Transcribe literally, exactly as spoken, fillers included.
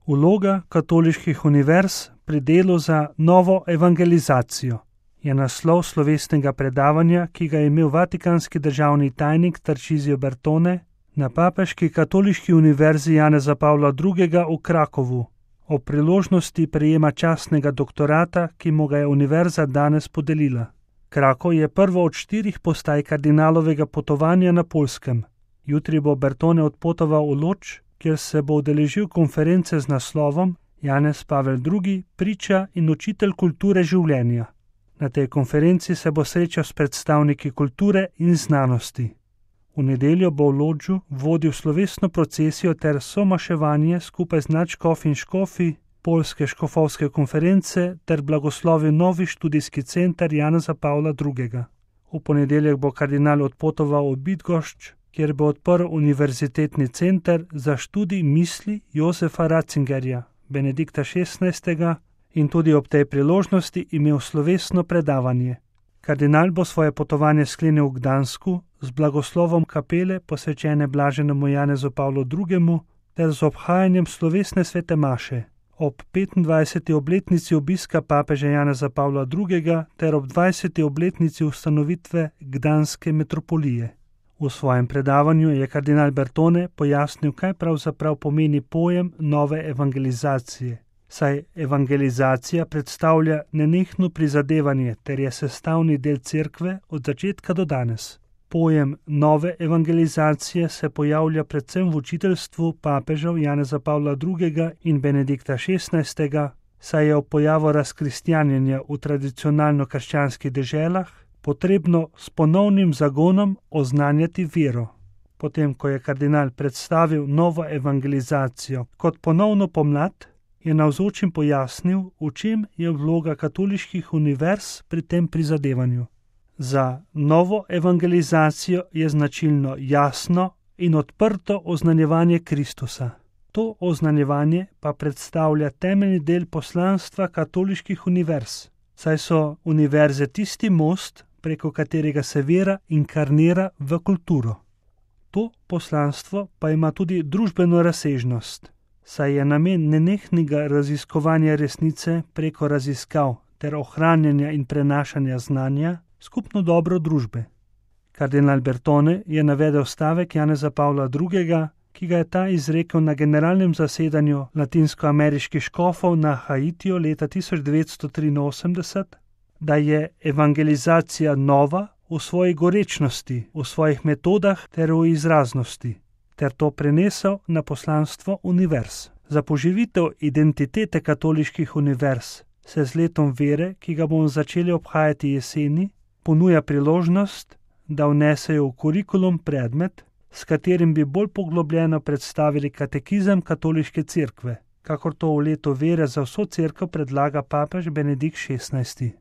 Vloga katoliških univerz pri delu za novo evangelizacijo je naslov slovesnega predavanja, ki ga je imel vatikanski državni tajnik Tarcisio Bertone na Papeški katoliški univerzi Janeza Pavla drugega v Krakovu o priložnosti prejema častnega doktorata, ki mu ga je univerza danes podelila. Krakov je prvo od štirih postaj kardinalovega potovanja na Poljskem. Jutri bo Bertone odpotoval v Lodž, kjer se bo udeležil konference z naslovom Janez Pavel drugi. Priča in učitelj kulture življenja. Na tej konferenci se bo srečal s predstavniki kulture in znanosti. V nedeljo bo v Lodžu vodil slovesno procesijo ter somaševanje skupaj z nadškofi in škofi Poljske škofovske konference ter blagoslovil novi študijski center Janeza Pavla drugega. V ponedeljek bo kardinal odpotoval v Bydgoszcz, kjer bo odprl univerzitetni center za študij misli Josefa Ratzingerja, Benedikta šestnajstega, in tudi ob tej priložnosti imel slovesno predavanje. Kardinal bo svoje potovanje sklenil v Gdansku z blagoslovom kapele posvečene blaženemu Janezu Pavlu drugemu ter z obhajanjem slovesne svete maše ob petindvajseti obletnici obiska papeža Janeza Pavla drugega ter ob dvajseti obletnici ustanovitve Gdanske metropolije. V svojem predavanju je kardinal Bertone pojasnil, kaj pravzaprav pomeni pojem nove evangelizacije, saj evangelizacija predstavlja nenehno prizadevanje ter je sestavni del cerkve od začetka do danes. Pojem nove evangelizacije se pojavlja predvsem v učiteljstvu papežev Janeza Pavla drugega in Benedikta šestnajstega, saj je ob pojavu razkristjanjenja v tradicionalno krščanskih deželah potrebno s ponovnim zagonom oznanjati vero. Potem, ko je kardinal predstavil novo evangelizacijo kot ponovno pomlad, je navzočim pojasnil, v čem je vloga katoliških univerz pri tem prizadevanju. Za novo evangelizacijo je značilno jasno in odprto oznanjevanje Kristusa. To oznanjevanje pa predstavlja temeljni del poslanstva katoliških univerz, saj so univerze tisti most, preko katerega se vera inkarnira v kulturo. To poslanstvo pa ima tudi družbeno razsežnost, saj je namen nenehnega raziskovanja resnice preko raziskav ter ohranjanja in prenašanja znanja skupno dobro družbe. Kardinal Bertone je navedel stavek Janeza Pavla drugega, ki ga je ta izrekel na generalnem zasedanju latinskoameriških škofov na Haitiju leta tisoč devetsto triinosemdeset, da je evangelizacija nova v svoji gorečnosti, v svojih metodah ter v izraznosti, ter to prenesel na poslanstvo univerz. Za poživitev identitete katoliških univerz se z letom vere, ki ga bomo začeli obhajati jeseni, ponuja priložnost, da vnesejo v kurikulum predmet, s katerim bi bolj poglobljeno predstavili katekizem katoliške cerkve, kakor to v letu vere za vso cerkev predlaga papež Benedikt šestnajsti.